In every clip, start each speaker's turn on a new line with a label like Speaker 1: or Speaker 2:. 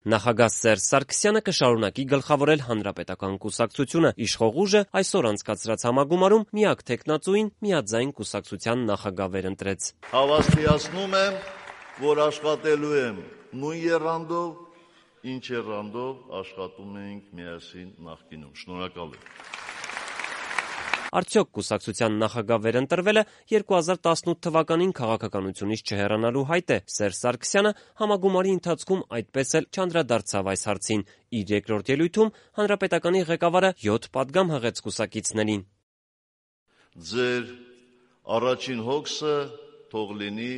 Speaker 1: Նախագահ Սերժ Սարգսյանը կշարունակի գլխավորել հանրապետական կուսակցությունը։ Իշխող ուժը այսօր անցկացրած համագումարում միակ թեկնածուին միաձայն կուսակցության նախագահ վերընտրեց։
Speaker 2: Հավաստիացնում եմ, որ աշխատելու եմ նույն եռանդով, ինչ եռանդով աշխատում էինք միասին նախկինում։ Շնորհակալ եմ։
Speaker 1: Արդյոք կուսակցության նախագահ վերընտրվելը 2018 թվականին քաղաքականությունից չհեռանալու հայտ է։ Սերժ Սարգսյանը համագումարի ընթացքում այդպես էլ չանդրադարձավ այս հարցին։ Իր երկրորդ ելույթում հանրապետականի ղեկավարը 7 պատգամ հղեց կուսակիցներին։
Speaker 2: Ձեր առաջին հոգսը թող լինի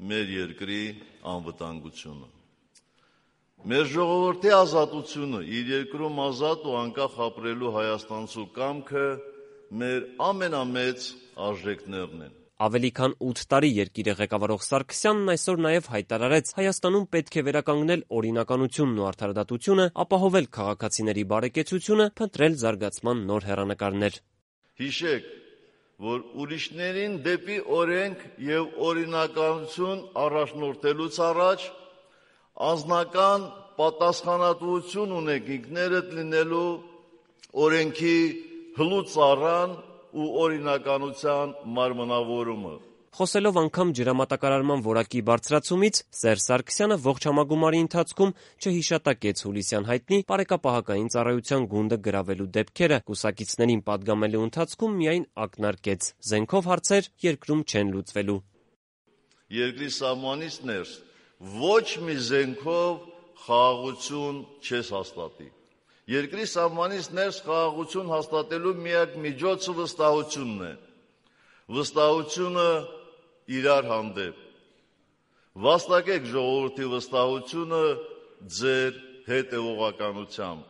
Speaker 2: մեր երկրի անվտանգությունը։ Մեր ժողովրդի ազատությունը, իր երկրում ազատ ու անկախ ապրելու հայաստանցու կամքը մեր ամենամեծ արժեքներն են։
Speaker 1: Ավելի քան 8 տարի երկիրը ղեկավարող Սարգսյանն այսօր նաև հայտարարեց, Հայաստանում պետք է վերականգնել օրինականությունն ու արդարադատությունը, ապահովել քաղաքացիների բարեկեցությունը, փնտրել զարգացման նոր հեռանկարներ։
Speaker 2: Հիշեք, որ ուրիշներին դեպի օրենք եւ օրինականություն առաջնորդելուց առաջ անձնական պատասխանատվություն ունեք ինքներդ լինելու օրենքի հլուծարան ու օրինականության մարմնավորումը։
Speaker 1: Խոսելով անգամ ջրամատակարարման որակի բարձրացումից, Սերժ Սարգսյանը ողջ համագումարի ընթացքում չհիշատակեց հուլիսյան հայտնի բարեկապահական ծառայության գունդը գրավելու դեպքերը, կուսակիցներին պատգամելու ընթացքում միայն ակնարկեց. զենքով հարցեր երկրում չեն լուծվելու։
Speaker 2: Երկրի սահմանից ներս ոչ մի զենքով խաղաղություն չես հաստատի։ Երկրի սահմանից ներս խաղաղություն հաստատելու միակ միջոցը վստահությունն է։ Վստահությունը իրար հանդեպ։ Վաստակեք ժողովրդի վստահությունը ձեր հետևողականությամբ։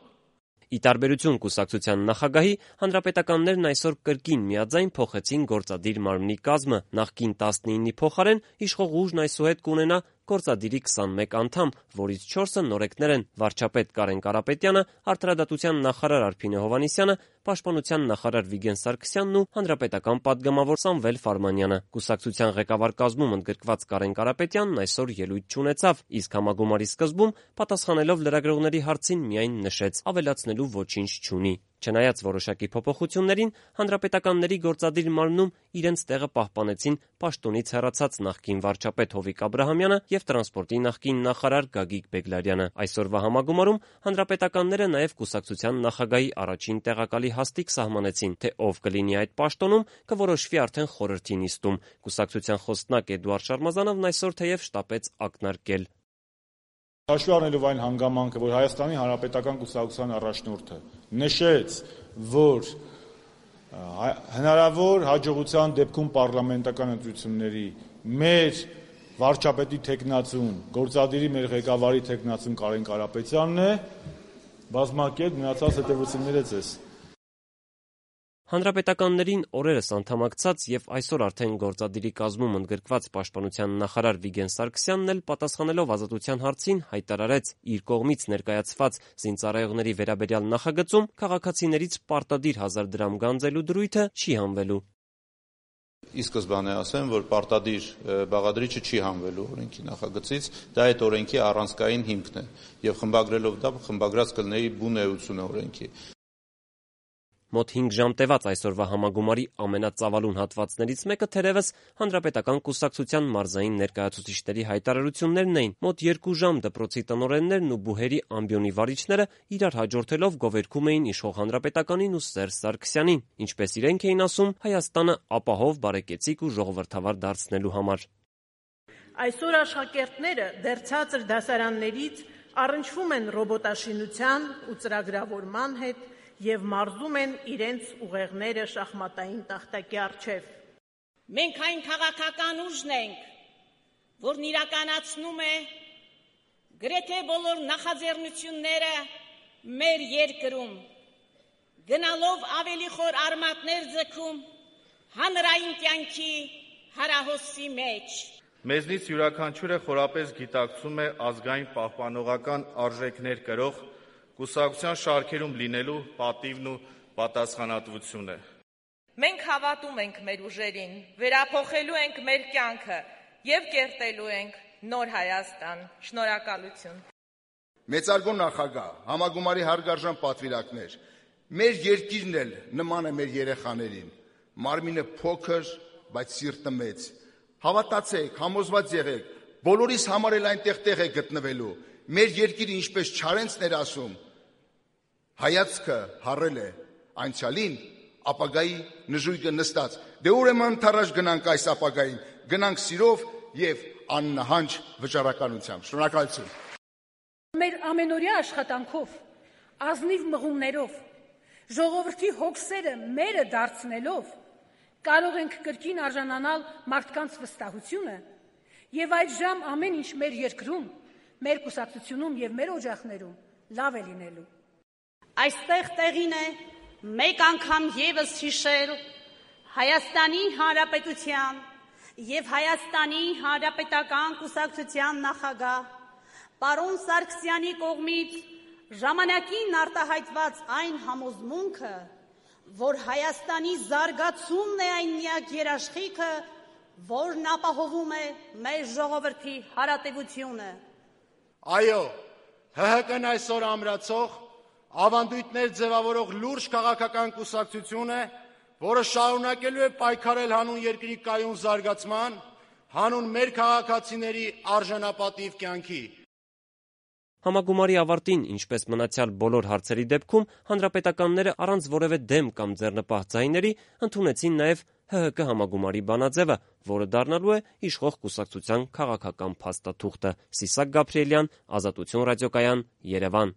Speaker 1: Ի տարբերություն կուսակցության նախագահի, հանրապետականներն այսօր կրկին միաձայն փոխեցին գործադիր մարմնի կազմը։ Նախկին 19-ի փոխարեն իշխող ուժն այսուհետ կունենա գործադիրի 21 անդամ, որից 4-ը նորեկներ են՝ վարչապետ Կարեն Կարապետյանը, արդարադատության նախարար Արփինե Հովհաննիսյանը, պաշտպանության նախարար Վիգեն Սարգսյանն ու հանրապետական պատգամավոր Սամվել Ֆարմանյանը։ Կուսակցության ղեկավար կազմում ընդգրկված Կարեն Կարապետյանն այսօր ելույթ չունեցավ, իսկ համագումարի սկզբում պատասխանելով լրագրողների հարցին միայն նշեց՝ ավելացնելու ոչինչ չունի։ Չնայած որոշակի փոփոխություններին, հանրապետականների գործադիր մարմնում իրենց տեղը պահպանեցին պաշտոնից հեռացած նախկին վարչապետ Հովիկ Աբրահամյանը եւ տրանսպորտի նախկին նախարար Գագիկ Բեգլարյանը։ Այսօրվա համագումարում հանրապետականները նաեւ կուսակցության նախագահի առաջին տեղակալի հաստիք սահմանեցին, թե ով կլինի այդ պաշտոնում, կորոշվի արդեն խորհրդի նիստում։ Կուսակցության խոսնակ Էդուարդ Շարմազանովն այսօր թեև շտապեց ակնարկել.
Speaker 3: Հաշվի առնելով այն հանգամանքը, որ Հայաստանի Հանրապետական կուսակցության առաջնորդը նշեց, որ հնարավոր հաջողության դեպքում պարլամենտական ընտրությունների մեր վարչապետի թեկնածուն, գործադիրի մեր ղեկավարի թեկնածուն Կարեն Կարապետյանն է, բազմակերպ մնացած հետևությունները ձեզ։
Speaker 1: Հանրապետականներին օրերս անդամակցած եւ այսօր արդեն գործադիրի կազմում ընդգրկված պաշտպանության նախարար Վիգեն Սարգսյանն էլ պատասխանելով ազատության հարցին հայտարարեց, իր կողմից ներկայացված զինծառայողների վերաբերյալ նախագծում քաղաքացիներից պարտադիր 1000 դրամ գանձելու դրույթը չի հանվելու։
Speaker 4: Ի սկզբանե ասեմ, որ պարտադիր բաղադրիչը չի հանվելու օրենքի նախագծից, դա այդ օրենքի առանցքային հիմքն է եւ խմբագրելով դա խմբագրած կլինի բուն էությունը օրենքի։
Speaker 1: Մոտ 5 ժամ տևած այսօրվա համագումարի ամենածավալուն հատվածներից մեկը թերևս հանրապետական կուսակցության մարզային ներկայացուցիչների հայտարարություններն էին։ Մոտ 2 ժամ դպրոցի տնօրեններն ու բուհերի ամբիոնի վարիչները իրար հաջորդելով գովերգում էին իշխող հանրապետականին ու Սերժ Սարգսյանին, ինչպես իրենք էին ասում, Հայաստանը ապահով, բարեկեցիկ ու ժողովրդավար դարձնելու համար։
Speaker 5: Այսօր աշխատողները դեռ ցածր դասարաններից առնչվում են ռոբոտաշինության ու ծրագրավորման հետ եւ մարզում են իրենց ուղեղները շախմատային տախտակի առջև։
Speaker 6: Մենք այն քաղաքական ուժն ենք, որն իրականացնում է գրեթե բոլոր նախաձեռնությունները մեր երկրում, գնալով ավելի խոր արմատներ ձգում հանրային կյանքի հարահոսի մեջ։
Speaker 7: Մեզնից յուրաքանչյուրը խորապես գիտակցում է ազգային պահպանողական արժեքներ կրող կուսակցության շարքերում լինելու պատիվն ու պատասխանատվությունը։
Speaker 8: Մենք հավատում ենք մեր ուժերին, վերափոխելու ենք մեր կյանքը եւ կերտելու ենք նոր Հայաստան։ Շնորհակալություն։
Speaker 9: Մեծարգո նախագահ, համագումարի հարգարժան պատվիրակներ, մեր երկիրն էլ նման է մեր երեխաներին, մարմինը փոքր, բայց սիրտը մեծ, հավատացեք, համոզված եղեք, բոլորիս համար էլ այնտեղ տեղ է գտնվելու, մեր երկիրը ինչպես Չարենցն էր ասում, հայացքը հառել է անցյալին, ապագայի նժույգը նստած, դե ուրեմն թարաշ գնանք այս ապագային, գնանք սիրով և աննահանջ վճռականությամբ, շնորհակալություն։
Speaker 10: Մեր ամենօրյա աշխատանքով, ազնիվ մղումներով, ժողովրդի հոգսերը մերը դարձնելով, կարող ենք կրկին արժանանալ մարդկանց վստահությունը և այդժամ ամեն ինչ մեր երկրում, մեր կուսակցությունում և մեր օջախներում լավ է լինելու։
Speaker 6: Այստեղ տեղին է մեկ անգամ ևս հիշել Հայաստանի Հանրապետության և Հայաստանի Հանրապետական կուսակցության նախագահ պարոն Սարգսյանի կողմից ժամանակին արտահայտված այն համոզմունքը, որ Հայաստանի զարգացումն է այն միակ երաշխիքը, որն ապահովում է մեր ժողովրդի հարատևությունը։
Speaker 11: Այո, ՀՀԿ-ն այսօր ամրացող, ավանդույթներ ձևավորող լուրջ քաղաքական կուսակցություն է, որը շարունակելու է պայքարել հանուն երկրի կայուն զարգացման, հանուն մեր քաղաքացիների արժանապատիվ կյանքի։
Speaker 1: Համագումարի ավարտին, ինչպես մնացյալ բոլոր հարցերի դեպքում, հանրապետականները առանց որևէ դեմ կամ ձեռնպահ ձայների ընդունեցին նաև ՀՀԿ համագումարի բանաձևը, որը դառնալու է իշխող կուսակցության քաղաքական փաստաթուղթը։ Սիսակ Գաբրիելյան, Ազատություն ռադիոկայան, Երևան։